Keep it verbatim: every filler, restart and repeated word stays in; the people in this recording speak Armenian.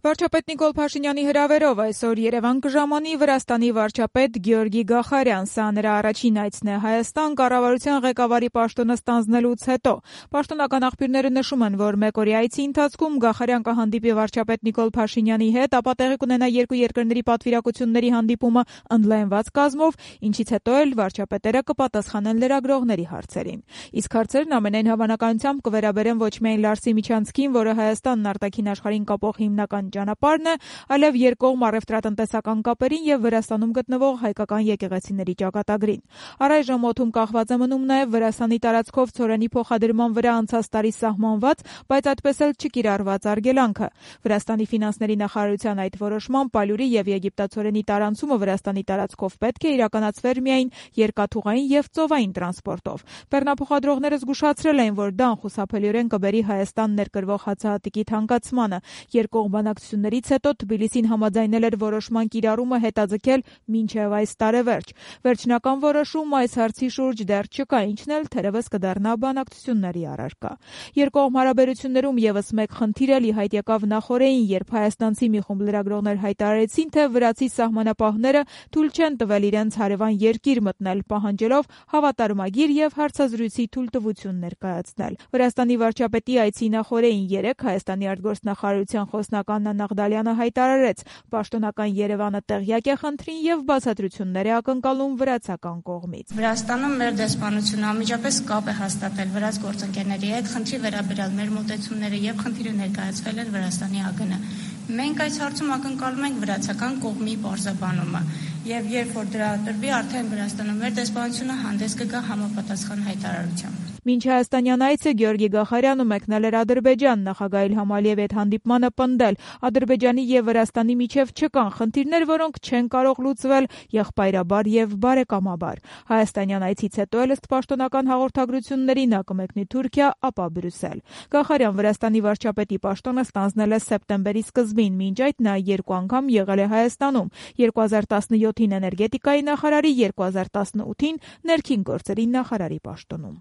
Վարչապետ Նիկոլ Փաշինյանի հրավերով այսօր Երևան կժամանի Վրաստանի վարչապետ Գեորգի Գախարյան։ Սա նրա առաջին այցն է Հայաստան կառավարության ղեկավարի պաշտոնը ստանձնելուց հետո։ Պաշտոնական աղբյուրները նշում են, որ մեկօրյա այցի ընթացքում Գախարյան կհանդիպի վարչապետ Նիկոլ Փաշինյանի հետ, ապա տեղի կունենա երկու երկրների պատվիրակությունների հանդիպումը ընդլայնված կազմով, ինչից հետո էլ վարչապետերը կպատասխանեն լրագրողների հարցերին։ Իսկ հարցերն ամենայն հավանականությամբ կվերաբերեն ոչ միայն Լարսի միջանցքին, որը Հայաստանն արտաքին աշխարհին կապող հիմնական ճանապարհն է, այլև երկկողմ առևտրատնտեսական կապերին եւ Վրաստանում գտնվող հայկական եկեղեցիների ճակատագրին։ Առայժմ օդում կախված է մնում նաեւ Վրաստանի տարածքով ցորենի փոխադրման վրա անցած տարի սահմանված, բայց այդպես էլ չկիրառված արգելանքը։ Վրաստանի ֆինանսների նախարարության այդ որոշմամբ ալյուրի եւ եգիպտացորենի տարանցումը Վրաստանի տարածքով պետք է իրականացվեր միայն երկաթուղային եւ ծովային տրանսպորտով։ Բեռնափոխադրողները զգուշացրել էին, որ դա անխուսափելիորեն կբերի Հայաստան ներկրվող հացահատիկի թանկացմանը։ Երկկողմ բանակցություններից հետո Թբիլիսին համաձայնել էր որոշման կիրառումը հետաձգել մինչև այս տարեվերջ։ Վերջնական որոշում այս հարցի շուրջ դեռ չկա, ինչն էլ թերևս կդառնա բանակցությունների առարկա։ Երկկողմ հարաբերություններում եւս մեկ խնդիր էլ ի հայտ եկավ նախօրեին, երբ հայաստանցի մի խումբ լրագրողներ հայտարարեցին, թե վրացի սահմանապահները թույլ չեն տվել իրենց հարևան երկիր մտնել, պահանջելով հավատարմագիր եւ հարցազրույցի թույլտվություն ներկայացնել։ Վրաստանի վարչապետի այցի նախօրեին երեկ Հայաստանի արտգործնախարարության խոսնական Նանա Ղդալյանը հայտարարեց, պաշտոնական Երևանը տեղյակ է խնդրին եւ բացատրություններ է ակնկալում վրացական կողմից։ Վրաստանում մեր դեսպանությունը անմիջապես կապ է հաստատել վրաց գործընկերների հետ, խնդրի վերաբերյալ մեր մոտեցումները եւ խնդիրը ներկայացվել են Վրաստանի ԱԳՆ։ Մենք այս հարցում ակնկալում ենք վրացական կողմի պարզաբանումը եւ երբ որ դրա տրվի, արդեն Վրաստանում մեր դեսպանությունը հանդես կգա համապատասխան հայտարարությամբ։ Մինչ հայաստանյան այցը Գեորգի Գախարյանը մեկնել էր Ադրբեջան, նախագահ Իլհամ Ալիևի հետ հանդիպմանը պնդել, Ադրբեջանի եւ Վրաստանի միջև չկան խնդիրներ, որոնք չեն կարող լուծվել եղբայրաբար եւ բարեկամաբար։ Հայաստանյան այցից հետո էլ ըստ պաշտոնական հաղորդագրությունների նա կմեկնի Թուրքիա, ապա Բրյուսել։ Գախարյան Վրաստանի վարչապետի պաշտոնը ստանձնել է սեպտեմբերի սկզբին, մինչ այդ նա երկու անգամ եղել է Հայաստանում՝ երկու հազար տասնյոթին էներգետիկայի նախարարի, երկու հազար տասնութին ներքին գործերի նախարարի պաշտոնում։